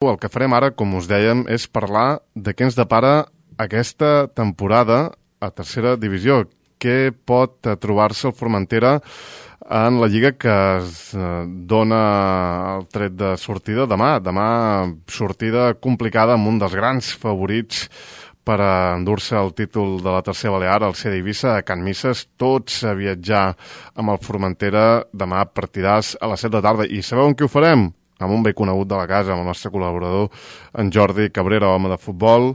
El que farem ara, com us dèiem, és parlar de què ens depara aquesta temporada a tercera divisió. Què pot trobar-se el Formentera en la Lliga que es dona el tret de sortida demà. Demà sortida complicada amb un dels grans favorits per endur-se el títol de la tercera balear, el CD Eivissa, a Can Misses. Tots a viatjar amb el Formentera demà partidars a les 7 de tarda. I sabeu en què ho farem? Amb un vell conegut de la casa, amb el nostre col·laborador, en Jordi Cabrera, home de futbol,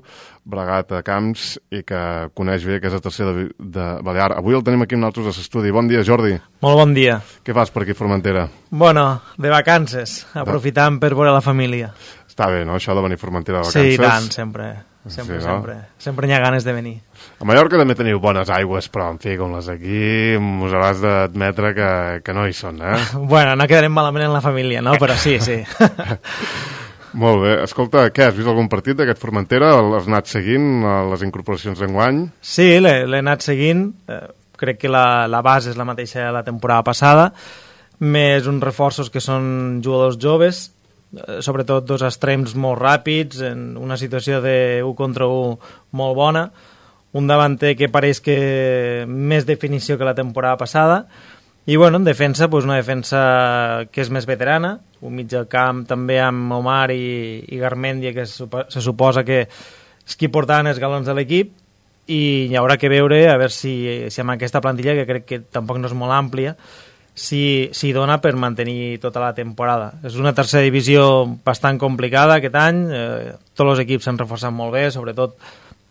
bregat a camps i que coneix bé que és la tercera de Balear. Avui el tenim aquí amb nosaltres a l'estudi. Bon dia, Jordi. Molt bon dia. Què fas per aquí, Formentera? Bueno, de vacances, aprofitant per veure la família. Està bé, no?, això de venir a Formentera de vacances. Sí, tant, sempre. Sempre, sí, no? Sempre n'hi ha ganes de venir. A Mallorca també teniu bones aigües, però, en fi, com les aquí, us hauràs d'admetre que no hi són, eh? Bueno, no quedarem malament en la família, no? Però sí, sí. Molt bé. Escolta, què, has vist algun partit d'aquest Formentera? Has anat seguint les incorporacions d'enguany? Sí, l'he anat seguint. Crec que la base és la mateixa de la temporada passada, més uns reforços que són jugadors joves, sobretot dos extrems molt ràpids, en una situació de 1 contra 1 molt bona, un davanter que pareix que més definició que la temporada passada, i bueno, en defensa, doncs una defensa que és més veterana, un mig del camp també amb Omar i Garmendia, que se suposa que és qui portaven els galons de l'equip, i hi haurà que veure a veure si amb aquesta plantilla, que crec que tampoc no és molt àmplia, si dona per mantenir tota la temporada. És una tercera divisió bastant complicada aquest any, tots els equips s'han reforçat molt bé, sobretot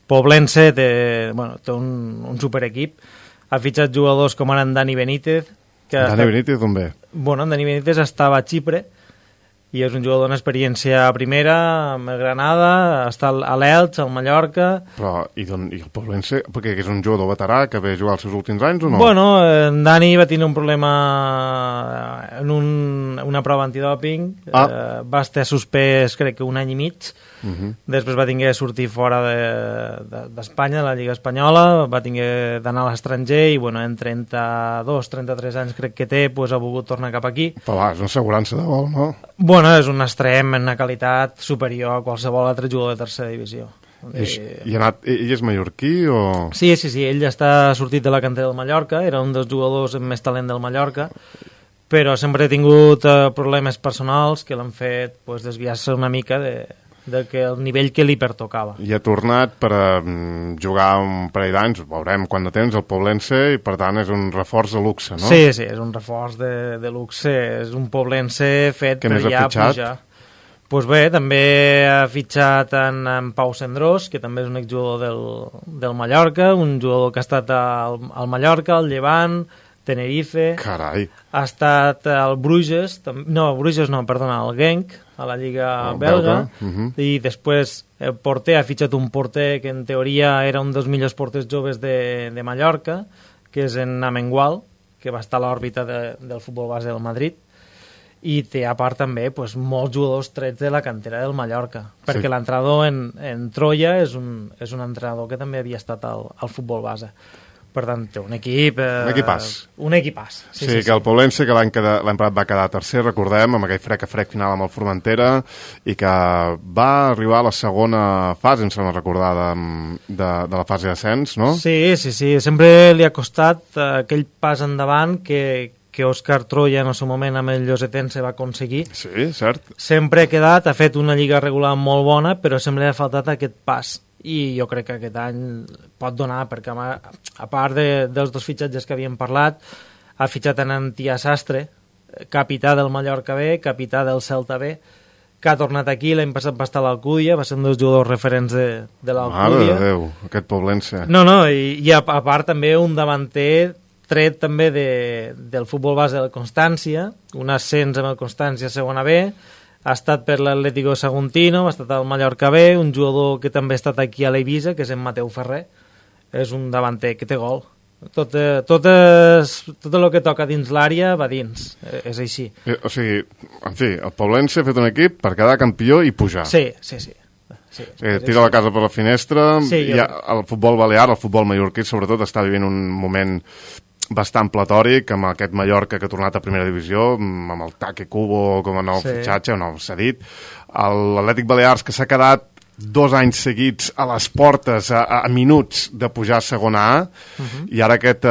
Poblense té un superequip, ha fitxat jugadors com ara en Dani Benítez. Dani Benítez d'on ve? Bueno, en Dani Benítez estava a Xipre i és un jugador d'una experiència primera amb el Granada, està a l'Elx, al Mallorca. Però, i el Poblense, perquè és un jugador veterà que ve a jugar els seus últims anys o no? Bueno, en Dani va tenir un problema en una prova antidòping, va estar suspès crec que un any i mig, després va tenir que sortir fora d'Espanya, de la Lliga Espanyola, va tenir d'anar a l'estranger i bueno, en 32-33 anys crec que té, doncs ha volgut tornar cap aquí. Però va, és una assegurança de gol, no? Bueno, és un extrem en una qualitat superior a qualsevol altre jugador de tercera divisió. Ell és mallorquí o...? Sí, ell està sortit de la cantera del Mallorca, era un dels jugadors amb més talent del Mallorca, però sempre ha tingut problemes personals que l'han fet desviar-se una mica del nivell que li pertocava. I ha tornat per jugar un parell d'anys, veurem quan de temps, al Poblense, i per tant és un reforç de luxe, no? Sí, és un reforç de luxe, és un Poblense fet per ja pujar. Doncs bé, també ha fitxat en Pau Cendrós, que també és un exjugador del Mallorca, un jugador que ha estat al Mallorca, al Llevant, Tenerife. Carai. Ha estat al Bruges, al Genk, a la Lliga belga. I després el porter ha fitxat un porter que en teoria era un dels millors porters joves de Mallorca, que és en Amengual, que va estar a l'òrbita del futbol base del Madrid, i té a part també molts jugadors trets de la cantera del Mallorca, perquè l'entrenador en Troia és un entrenador que també havia estat al futbol base. Per tant, té un equip... Un equipàs. Un equipàs. Sí, que el Poblense, que l'any passat va quedar tercer, recordem, amb aquell frec final amb el Formentera, i que va arribar a la segona fase, em sembla recordar, de la fase d'ascens, no? Sí. Sempre li ha costat aquell pas endavant que Òscar Troia en el seu moment amb el Llosetense va aconseguir. Sí, cert. Sempre ha quedat, ha fet una lliga regular molt bona, però sempre li ha faltat aquest pas. I jo crec que aquest any pot donar, perquè a part dels dos fitxatges que havíem parlat, ha fitxat en Antía Sastre, capità del Mallorca B, capità del Celta B, que ha tornat aquí, l'any passat va estar a l'Alcúdia, va ser un dels jugadors referents de l'Alcúdia. Mare de Déu, aquest Poblense. No, i a part també un davanter tret també del futbol base del Constància, un ascens amb el Constància segona B, ha estat per l'Atlético Saguntino, ha estat al Mallorca B, un jugador que també ha estat aquí a l'Eivissa, que és en Mateu Ferrer, és un davanter que té gol. Tot el que toca dins l'àrea va dins, és així. O sigui, en fi, el Poblense ha fet un equip per quedar campió i pujar. Sí. Tira la casa per la finestra, el futbol balear, el futbol mallorquí, sobretot, està vivint un moment bastant platòric, amb aquest Mallorca que ha tornat a primera divisió, amb el Take Kubo com a nou fitxatge, nou cedit. L'Atlètic Balears, que s'ha quedat 2 anys seguits a les portes, a minuts de pujar a segona A, i ara aquest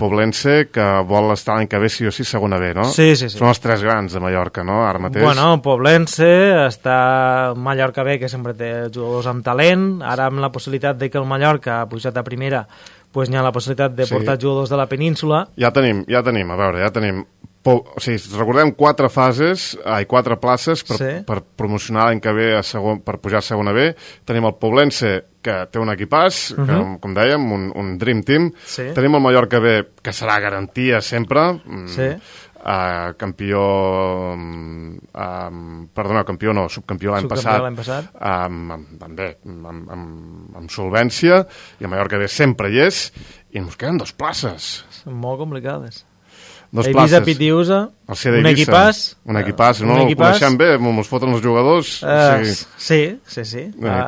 Poblense que vol estar l'any que ve sí o sí segona B, no? Sí. Són els 3 grans de Mallorca, no?, ara mateix. Bueno, Poblense, està Mallorca B, que sempre té jugadors amb talent, ara amb la possibilitat de que el Mallorca ha pujat a primera, pues n'hi ha la possibilitat de portar jugadors de la península. Ja tenim, o sigui, recordem 4 places per promocionar l'any que ve per pujar a segona B. Tenim el Poblense, que té un equipàs, que, com dèiem, un Dream Team. Tenim el Mallorca B, que serà garantia sempre. Campió no, subcampió l'any passat. També, amb solvència, i el Mallorca B sempre hi és, i ens queden 2 places. Són molt complicades. Eivissa Pitiusa, un equipàs, no? El coneixem bé, ens foten els jugadors. Sí.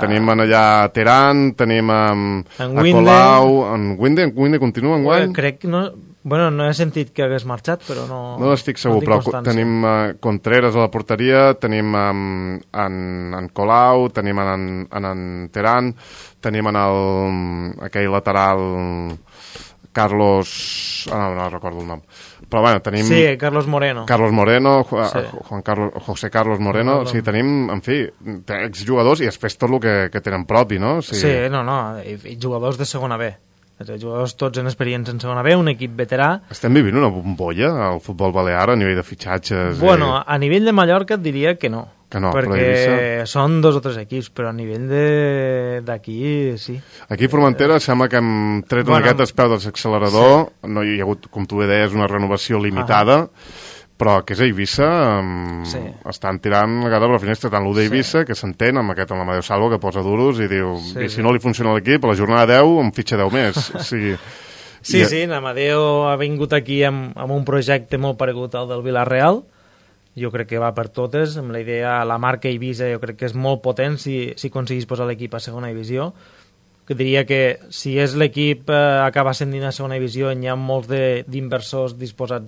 Tenim allà Teran, tenim a Colau, en Winde continua enguany? Crec que no... Bueno, no he sentit que hagués marxat, però no... No estic segur, però tenim Contreras a la porteria, tenim en Colau, tenim en Teran, tenim en aquell lateral Carlos... no recordo el nom. Però bueno, tenim... Sí, Carlos Moreno, José Carlos Moreno, sí, tenim, en fi, exjugadors i després tot el que tenen propi, no? I jugadors de segona B. Jugadors tots en experiència en segona B, un equip veterà. Estem vivint una bombolla al futbol balear a nivell de fitxatges? Bueno, a nivell de Mallorca et diria que no. Perquè són 2 o 3 equips, però a nivell d'aquí sí. Aquí a Formentera sembla que hem tret una miqueta el peu de l'accelerador, no hi ha hagut, com tu bé deies, una renovació limitada, però que és a Eivissa, estan tirant la gata per la finestra, tant l'1 d'Eivissa, que s'entén, amb l'Amadeu Salvo, que posa duros i diu, i si no li funciona l'equip, a la jornada 10 em fitxa 10 més. Sí, l'Amadeu ha vingut aquí amb un projecte molt paregut al del Villarreal. Jo crec que va per totes, amb la idea, la marca Eivissa jo crec que és molt potent si aconseguís posar l'equip a segona divisió. Que diria que si és l'equip acaba ascendint a segona divisió, hi ha molts d'inversors disposats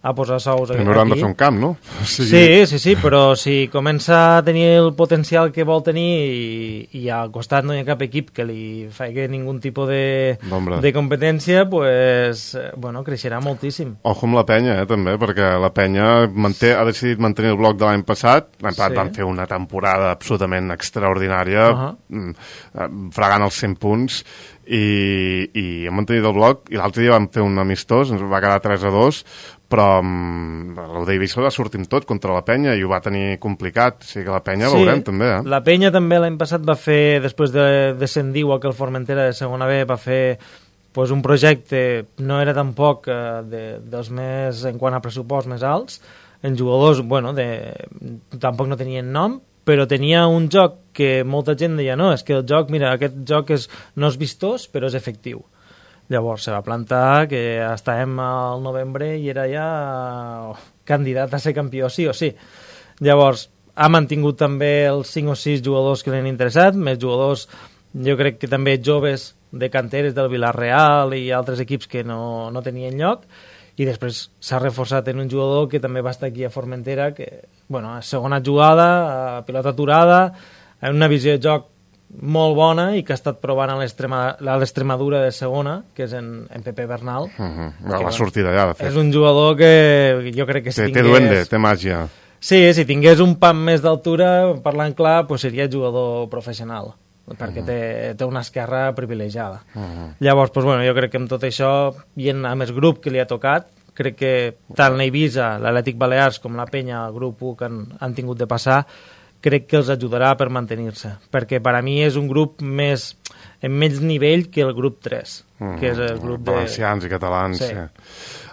a posar sous aquí. Però hauran de fer un camp, no? Sí, però si comença a tenir el potencial que vol tenir i al costat no hi ha cap equip que li faci ningú tipus de competència, pues, bueno, creixerà moltíssim. Ojo amb la penya, també, perquè la penya ha decidit mantenir el bloc de l'any passat. L'any passat van fer una temporada absolutament extraordinària, fregant els 100 punts, i hem mantenit el bloc, i l'altre dia vam fer un amistós, ens va quedar 3-2, però l'Eivissa va sortir amb tot contra la penya i ho va tenir complicat, o sigui que la penya veurem també. La penya també l'any passat va fer, després de descendir igual que el Formentera de segona B, va fer un projecte, no era tampoc dels més, en quant a pressupost, més alts, en jugadors, tampoc no tenien nom, però tenia un joc que molta gent deia, no, és que el joc, mira, aquest joc no és vistós, però és efectiu. Llavors se va plantar que estàvem al novembre i era ja candidat a ser campió, sí o sí. Llavors ha mantingut també els 5 o 6 jugadors que l'han interessat, més jugadors, jo crec que també joves de canteres del Villarreal i altres equips que no tenien lloc, i després s'ha reforçat en un jugador que també va estar aquí a Formentera, que, segona jugada, pilota aturada, una visió de joc molt bona i que ha estat provant a l'Extremadura de segona, que és en Pepe Bernal. Va sortir d'allà, de fet. És un jugador que jo crec que si tingués... Té duende, té màgia. Sí, si tingués un pam més d'altura, parlant clar, seria jugador professional, perquè té una esquerra privilegiada. Llavors, jo crec que amb tot això, i amb el grup que li ha tocat, crec que tant l'Eivissa, l'Atlètic Balears com la Penya, el grup 1 que han tingut de passar, crec que els ajudarà per mantenir-se, perquè per a mi és un grup en menys nivell que el grup 3, que és el grup valencians i catalans. Sí.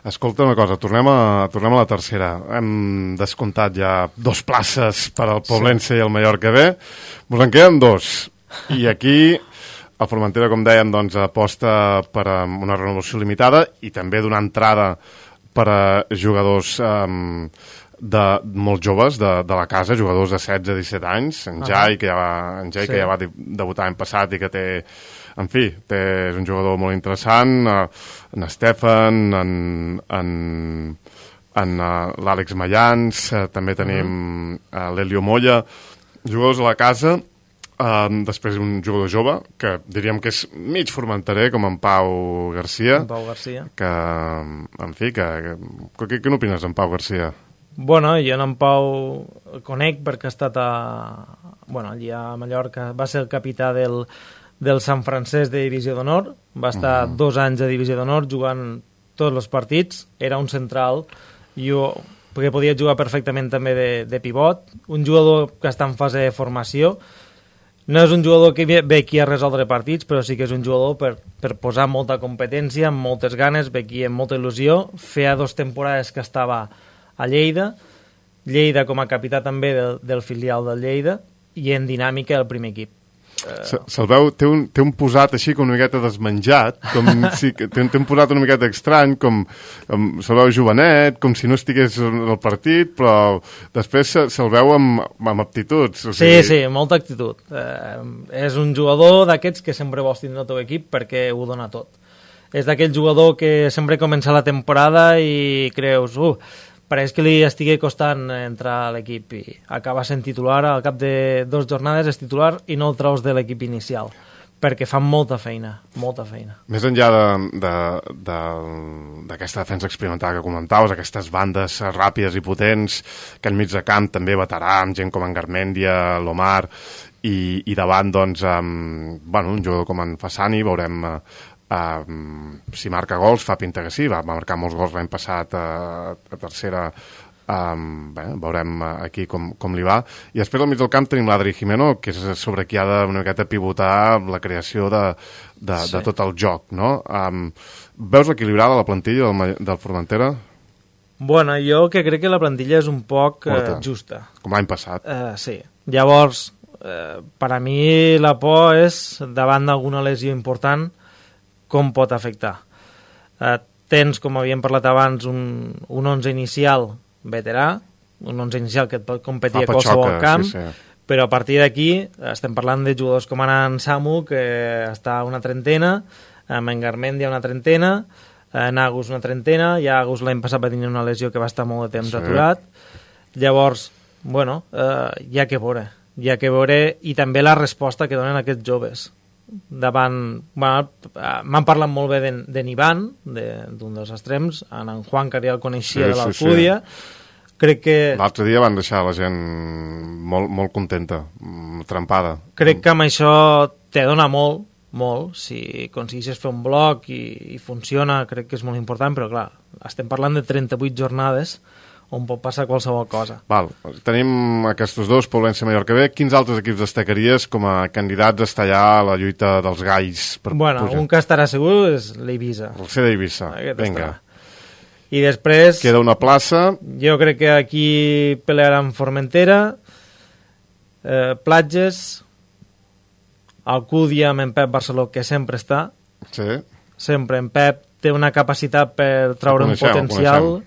Escolta una cosa, tornem a la tercera. Hem descomptat ja 2 places per al Poblense i el Mallorca B. Ens en queden 2. I aquí el Formentera, com dèiem, aposta per una renovació limitada i també donar entrada per a jugadors molt joves de la casa, jugadors de 16-17 anys, en Jai, que ja va debutar l'any passat i que té, en fi, és un jugador molt interessant, en Stefan, en l'Àlex Mayans, també tenim l'Elio Moya, jugadors a la casa. Després un jugador jove que diríem que és mig formenterer, com en Pau Garcia, que, en fi, què n'opines en Pau Garcia? Bueno, jo en Pau el conec perquè ha estat allí a Mallorca, va ser el capità del Sant Francesc de Divisió d'Honor, va estar 2 anys a Divisió d'Honor jugant tots els partits, era un central, perquè podia jugar perfectament també de pivot, un jugador que està en fase de formació. No és un jugador que ve aquí a resoldre partits, però sí que és un jugador per posar molta competència, amb moltes ganes, ve aquí amb molta il·lusió. Feia 2 temporades que estava a Lleida com a capità també del filial del Lleida, i en dinàmica del primer equip. Se'l veu, té un posat així com una miqueta desmenjat, té un posat una miqueta estrany, com se'l veu jovenet, com si no estigués al partit, però després se'l veu amb aptituds. Sí, molta actitud. És un jugador d'aquests que sempre vols tindre el teu equip perquè ho dona tot. És d'aquell jugador que sempre comença la temporada i creus, pareix que li estigui costant entrar a l'equip i acaba sent titular, al cap de 2 jornades és titular i no el treus de l'equip inicial, perquè fan molta feina. Més enllà d'aquesta defensa experimental que comentaves, aquestes bandes ràpides i potents, que enmig de camp també veterà, amb gent com en Garmendia, l'Omar, i davant, doncs, un jugador com en Fassani, veurem si marca gols, fa pinta que sí, va marcar molts gols l'any passat a tercera, veurem aquí com li va, i després al mig del camp tenim l'Adri Jimeno, que és sobre qui ha de una miqueta pivotar la creació de tot el joc, no? Veus equilibrada la plantilla del Formentera? Bueno, jo que crec que la plantilla és un poc justa. Com l'any passat. Sí, llavors per a mi la por és davant d'alguna lesió important com pot afectar. Tens, com havíem parlat abans, un 11 inicial veterà, un 11 inicial que et pot competir a qualsevol camp, però a partir d'aquí estem parlant de jugadors com en Samu, que està a una trentena, en Garmendia una trentena, en Agus una trentena, i Agus l'any passat va tenir una lesió que va estar molt de temps aturat. Llavors, bueno, hi ha que veure, i també la resposta que donen aquests joves. M'han parlat molt bé d'en Ivan, d'un dels extrems, en Juan, que ja el coneixia de l'Alcúdia. Crec que l'altre dia van deixar la gent molt contenta, trempada. Crec que amb això te dona molt, si aconsegueixes fer un bloc i funciona, crec que és molt important, però clar, estem parlant de 38 jornades on pot passar qualsevol cosa. Tenim aquests dos, Poblense i Mallorca B. Quins altres equips destacaries com a candidats a estar allà a la lluita dels galls per pujar? Un que estarà segur és l'Eivissa. El C d'Eivissa, vinga. I després queda una plaça. Jo crec que aquí pelearan Formentera, Platges, Alcúdia amb en Pep Barceló, que sempre està. Sí. Sempre en Pep té una capacitat per treure un potencial.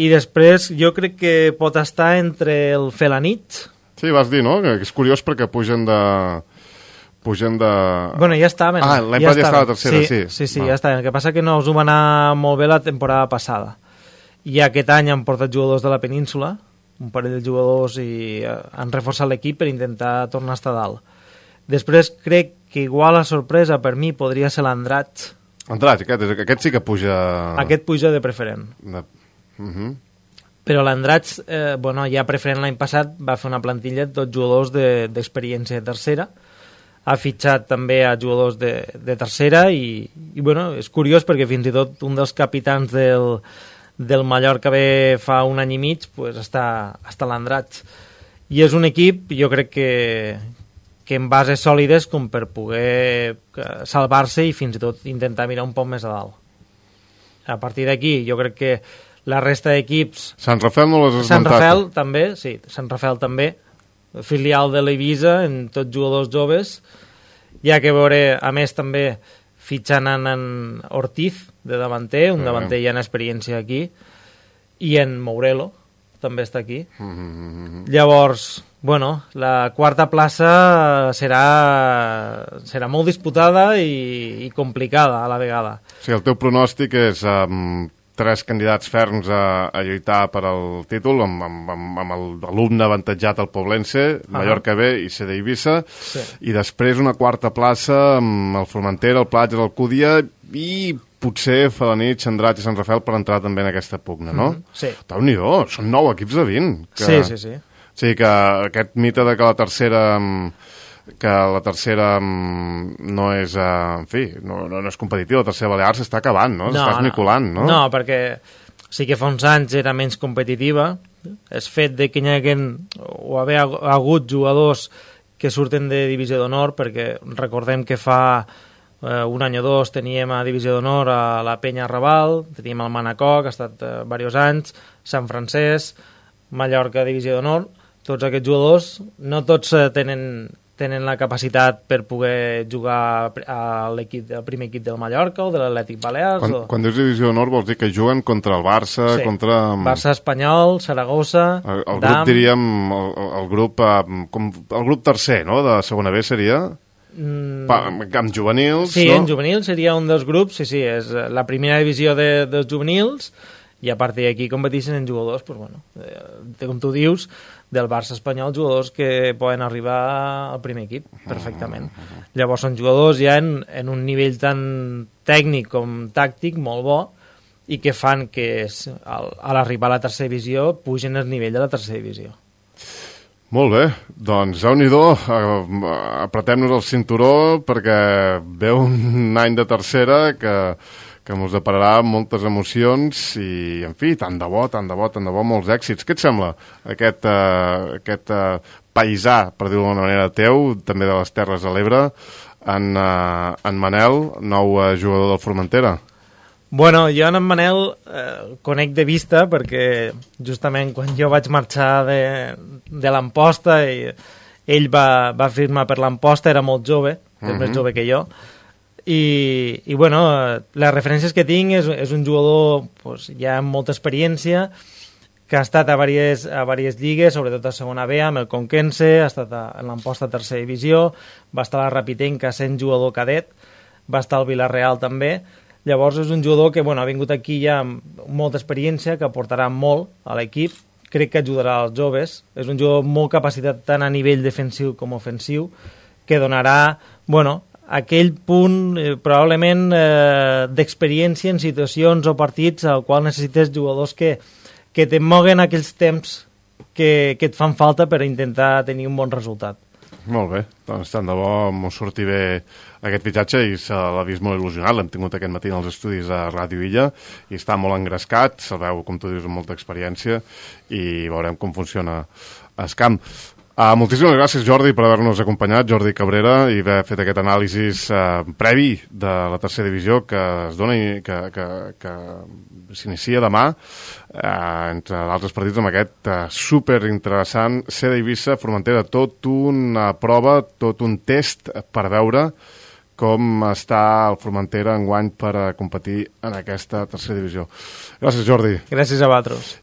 I després jo crec que pot estar entre el Felanit. Sí, vas dir, no? Que és curiós perquè pugen de... Bueno, ja estaven. L'any passat ja estava a tercera, sí, ja estaven. El que passa que no us ho va anar molt bé la temporada passada. I aquest any han portat jugadors de la península, un parell de jugadors, i han reforçat l'equip per intentar tornar a estar dalt. Després crec que igual la sorpresa per mi podria ser l'Andratx. Andratx, aquest sí que puja... Aquest puja de preferent. Però l'Andratx, ja preferent l'any passat, va fer una plantilla de tots jugadors d'experiència de tercera, ha fitxat també a jugadors de tercera i és curiós perquè fins i tot un dels capitans del Mallorca B fa un any i mig està a l'Andratx. I és un equip, jo crec que en bases sòlides com per poder salvar-se i fins i tot intentar mirar un poc més a dalt. A partir d'aquí, jo crec que la resta d'equips... Sant Rafael no l'has esmentat. Sant Rafael també, sí, Sant Rafael també, filial de l'Eivissa, en tots jugadors joves. Hi ha que veure, a més, també fitxant en Ortiz, de davanter, un davanter ja en experiència aquí. i en Mourelo també està aquí. Llavors, bueno, la quarta plaça serà molt disputada i complicada a la vegada. Sí, el teu pronòstic és 3 candidats ferms a lluitar per al títol, amb l'alumne avantatjat al Poblense, Mallorca B i CD Eivissa, i després una quarta plaça amb el Formentera, el Platja, l'Alcúdia i potser Felanitx, Andratx i Sant Rafael per entrar també en aquesta pugna, no? Sí. Déu-n'hi-do, són 9 equips de 20. Sí. Sí, que aquest mite de que la tercera no és, en fi, no és competitiva, la tercera Balears s'està acabant, no? S'està esmicolant, no? No, perquè sí que fa uns anys era menys competitiva. El fet de que hi haguin o haver hagut jugadors que surten de Divisió d'Honor, perquè recordem que fa un any o dos teníem a Divisió d'Honor a la Penya Raval, teníem el Manacor, que ha estat diversos anys, Sant Francesc, Mallorca Divisió d'Honor. Tots aquests jugadors, no tots tenen la capacitat per poder jugar al primer equip del Mallorca o de l'Atlètic Balears. Quan dius Divisió d'Honor vols dir que juguen contra el Barça, contra... Barça, Espanyol, Saragossa, el grup, diríem, el grup tercer, no?, de segona B seria... amb juvenils, sí, no? En juvenils seria un dels grups, sí, és la primera divisió dels juvenils, i a partir d'aquí competeixen en jugadors, pues, bueno, com tu dius, del Barça espanyol, jugadors que poden arribar al primer equip perfectament. Llavors són jugadors ja en un nivell tan tècnic com tàctic molt bo i que fan que a l'arribar a la tercera divisió pugen el nivell de la tercera divisió. Molt bé, doncs déu-n'hi-do, apretem-nos el cinturó perquè ve un any de tercera que ens depararà moltes emocions i, en fi, tant de bo, molts èxits. Què et sembla aquest paisà, per dir-ho d'alguna manera, teu, també de les Terres de l'Ebre, en Manel, nou jugador del Formentera? Bueno, jo en Manel conec de vista perquè justament quan jo vaig marxar de l'Amposta ell va firmar per l'Amposta, era molt jove, és més jove que jo, i bueno, les referències que tinc és un jugador pues, ja amb molta experiència, que ha estat a diverses lligues, sobretot a segona B, amb el Conquense, ha estat en l'Amposta tercera divisió, va estar a la Rapitenca sent jugador cadet, va estar al Vilareal també. Llavors és un jugador que bueno, ha vingut aquí ja amb molta experiència, que aportarà molt a l'equip, crec que ajudarà als joves, és un jugador molt capacitat tant a nivell defensiu com ofensiu, que donarà, bueno, aquell punt probablement d'experiència en situacions o partits al qual necessites jugadors que te moguen aquells temps que et fan falta per intentar tenir un bon resultat. Molt bé, doncs tant de bo m'ho surti bé aquest fitxatge i se l'ha vist molt il·lusionat, l'hem tingut aquest matí als estudis a Ràdio Illa i està molt engrescat, se'l veu, com tu dius, amb molta experiència i veurem com funciona el camp. Moltíssimes gràcies, Jordi, per haver-nos acompanyat, Jordi Cabrera, i haver fet aquest anàlisi previ de la tercera divisió que es dona i que s'inicia demà, entre d'altres partits, amb aquest superinteressant CD Eivissa Formentera, tot una prova, tot un test per veure com està el Formentera enguany per competir en aquesta tercera divisió. Gràcies, Jordi. Gràcies a vosaltres.